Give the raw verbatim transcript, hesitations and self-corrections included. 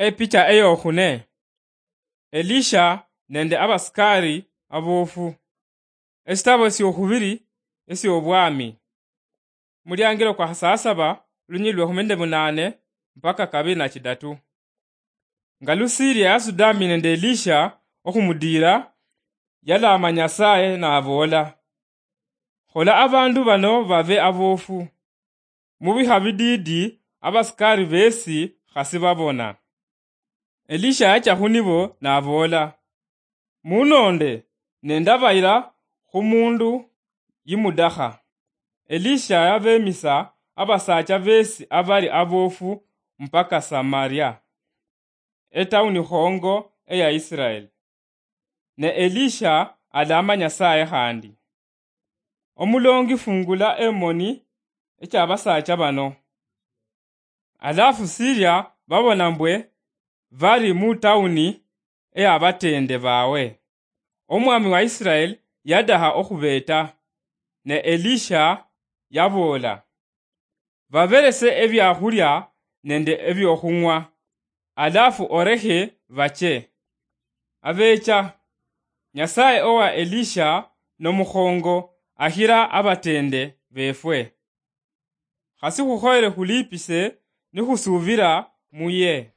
Epicha eyokhune. Elisha nende abasikari aboofu. Esitabo esiokhubiri esiobwami. Muliangilo kwa khasasaba, lunyili lwekhumi nende munane mpaka kabiri na chidatu. Nga Lusiria yasudami nende Elisha okhumudiira, yalaama Nyasaye naboola, "Khola abandu bano babe aboofu." Mubikha bidiidi, abasikari besi khasi babona. Elisha yacha khunibo naboola, "Munonde, ne ndabayila khumundu yimudakha." Elisha yabemisa abasacha besi abali aboofu mpaka Samaria, etawuni khongo eya Israel. Ne Elisha alama Nyasaye khandi, "Omulongi, fungula emoni echa basacha bano." Alafu Siria babona mbwe bali mu tawuni eya batende bawe. Omwami wa Israel yadaha okhubeta, ne Elisha yaboola, "Baberese ebiakhulia nende ebiokhung'wa, alafu orekhe bache." Abecha, Nyasaye owa Elisha nomukhongo akhira abatende befwe. Khasi khukhoyere khulipise nikhusubira muye.